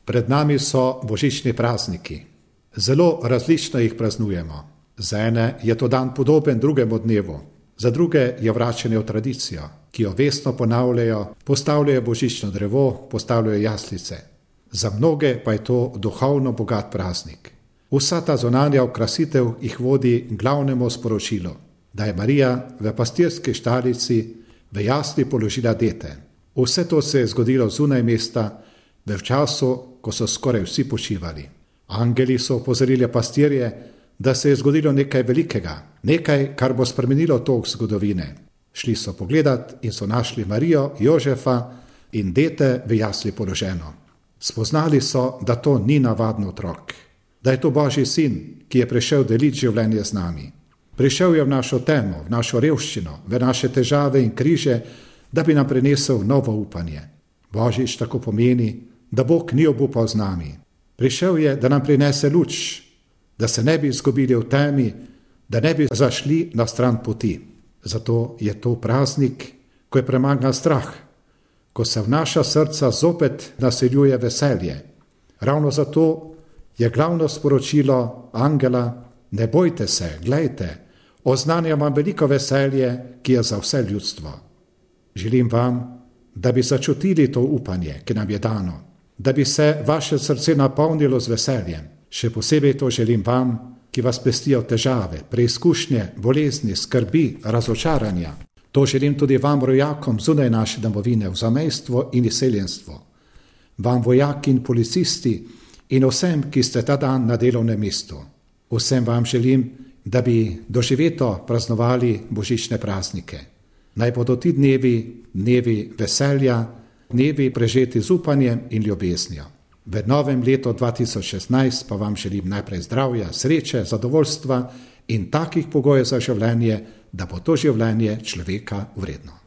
Pred nami so božični prazniki. Zelo različno jih praznujemo. Za ene je to dan podoben drugemu dnevu, za druge je vračanje v tradicijo, ki jo vestno ponavljajo, postavljajo božično drevo, postavljajo jaslice. Za mnoge pa je to duhovno bogat praznik. Vsa ta zunanja okrasitev jih vodi glavnemu sporočilu, da je Marija v pastirski štalici v jasli položila dete. Vse to se je zgodilo zunaj mesta, v času, ko so skoraj vsi počivali. Angeli so opozorili pastirje, da se je zgodilo nekaj velikega, nekaj, kar bo spremenilo tok zgodovine. Šli so pogledat in so našli Marijo, Jožefa in dete v jasli položeno. Spoznali so, da to ni navaden otrok, da je to Božji sin, ki je prišel deliti življenje z nami. Prišel je v našo temo, v našo revščino, v naše težave in križe, da bi nam prinesel novo upanje. Božič tako pomeni, da Bog ni obupal z nami. Prišel je, da nam prinese luč, da se ne bi izgubili v temi, da ne bi zašli na stran poti. Zato je to praznik, ko je premagan strah, ko se v naša srca zopet naseljuje veselje. Ravno zato je glavno sporočilo angela: ne bojte se, glejte, oznanjam vam veliko veselje, ki je za vse ljudstvo. Želim vam, da bi začutili to upanje, ki nam je dano, da bi se vaše srce napolnilo z veseljem. Še posebej to želim vam, ki vas pestijo težave, preizkušnje, bolezni, skrbi, razočaranja. To želim tudi vam, rojakom zunaj naše domovine, v zamejstvo in izseljenstvo. Vam, vojaki in policisti in vsem, ki ste ta dan na delovnem mestu. Vsem vam želim, da bi doživeto praznovali božične praznike. Naj bodo ti dnevi veselja, dnevi prežeti z upanjem in ljubeznijo. V novem letu 2016 pa vam želim najprej zdravja, sreče, zadovoljstva in takih pogojev za življenje, da bo to življenje človeka vredno.